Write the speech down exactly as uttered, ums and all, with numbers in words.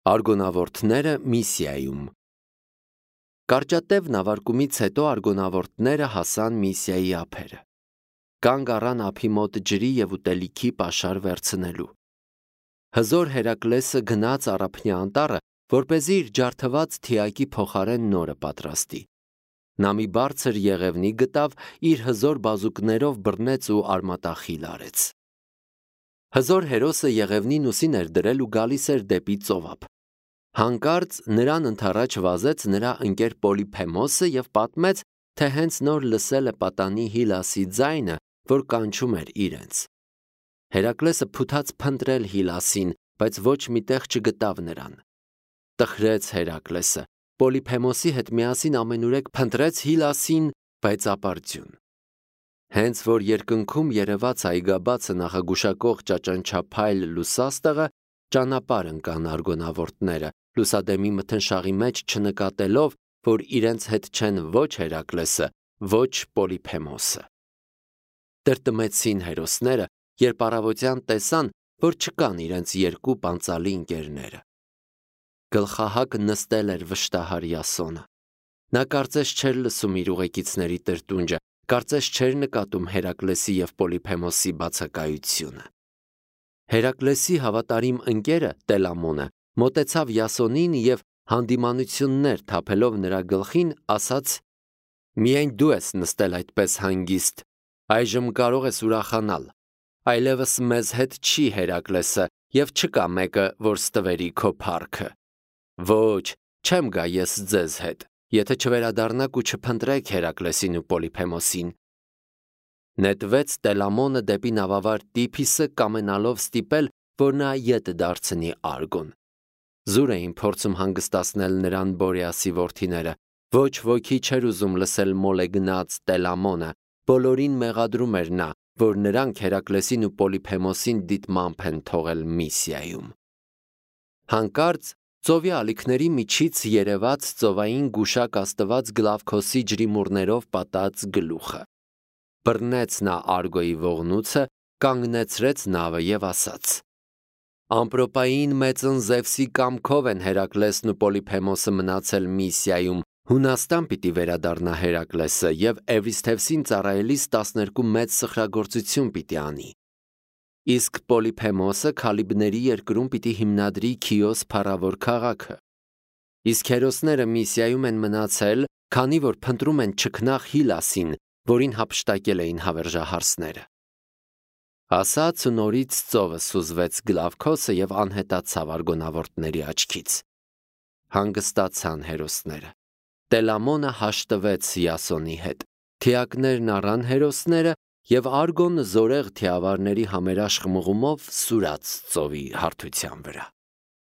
Արգոնավորտները Միսիայում։ Կարճատև նավարկումից հետո արգոնավորտները հասան Միսիայի ափերը։ Կանգ առան ափի մոտ ջրի և ուտելիքի պաշար վերցնելու։ Հզոր Հերակլեսը գնաց Առափնյա անտառը, որպեսզի իր ջարդված թիակի փոխարեն նորը պատրաստի։ Նա մի բարձր եղևնի գտավ, իր հզոր բազուկներով բռնեց ու արմատախիլ արեց։ Հզոր հերոսը եղևնին ուսին էր դրել ու գալիս էր դեպի ծովափ։ Հանկարծ նրան ընդառաջ վազեց նրա ընկեր Պոլիփեմոսը և պատմեց, թե հենց նոր լսել է պատանի Հիլասի ձայնը, որ կանչում էր իրենց։ Հերակլեսը փութաց փնտրել Հիլասին, բայց ոչ մի տեղ չգտավ նրան։ Տխրեց Հերակլեսը, Պոլիփեմոսի հետ միասին ամենուրեք փնտրեց Հիլասին, բայց ապարդյուն։ Հենց որ երկնքում երևաց այգաբացը նախագուշակող ճաճանչափայլ լուսաստեղը, ճանապարհ ընկան արգոնավորտները, լուսադեմի մթնշաղի մեջ չնկատելով, որ իրենց հետ չեն ոչ Հերակլեսը, ոչ Պոլիփեմոսը։ Տրտմեցին հերոսները, երբ առավոտյան տեսան, որ չկան իրենց երկու պանծալի ընկերները։ Գլխահակ նստել էր վշտահար Յասոնը։ Նա կարծես չէր լսում իր ուղեկիցների տրտունջը, կարծես չէր նկատում Հերակլեսի և Պոլիփեմոսի բացակայությունը։ Հերակլեսի հավատարիմ ընկերը Տելամոնը մոտեցավ Յասոնին և հանդիմանություններ թափելով նրա գլխին, ասաց. «Միայն դու ես նստել այդպես հանգիստ, այժմ կարող ես ուրախանալ, այլևս մեզ հետ չի Հերակլեսը և չկա մեկը, որ ստվերի քո փառքը։ Ոչ, չեմ գա ես ձեզ հետ, եթե չվերադառնաք ու չփնտրեք Հերակլեսին ու Պոլիփեմոսին»։ Նետվեց Տելամոնը դեպի նավավար Տիփիսը, կամենալով ստիպել, որ նա ետ դարձնի Արգոն։ Զուր էին փորձում հանգստացնել նրան Բորեասի որդիները, ոչ ոքի չէր ուզում լսել մոլեգնած Տելամոնը, բոլորին մեղադրում էր նա, որ նրանք Հերակլեսին ու Պոլիփեմոսին դիտմամբ են թողել Միսիայում։ Հանկարծ ծովի ալիքների միջից երևաց ծովային գուշակ աստված Գլավքոսի ջրիմուռներով պատած գլուխը։ Բռնեց նա Արգոյի ողնուցը, կանգնեցրեց նավը և ասաց. «Ամպրոպային մեծն Զևսի կամքով են Հերակլեսն ու Պոլիփեմոսը մնացել Միսիայում, Հունաստան պիտի վերադառնա Հերակլեսը և Էվրիսթևսին ծառայելիս տասներկու մեծ սխրագործություն պիտի անի։ Իսկ Պոլիփեմոսը Քալիբների երկրում պիտի հիմնադրի Քիոս փառավոր քաղաքը։ Իսկ հերոսները Միսիայում են մնացել, քանի որ փնտրում են չքնաղ Հիլասին, որին հափշտակել էին հավերժահարսները»։ Ասաց ու նորից ծովը սուզվեց Գլավքոսը և անհետացավ արգոնավորտների աչքից։ Հանգստացան հերոսները։ Տելամոնը հաշտվեց Յասոնի հետ։ Թիակներն առան հերոսները, և Արգոն զորեղ թիավարների համերաշխ մղումով սուրաց ծովի հարթության վրա։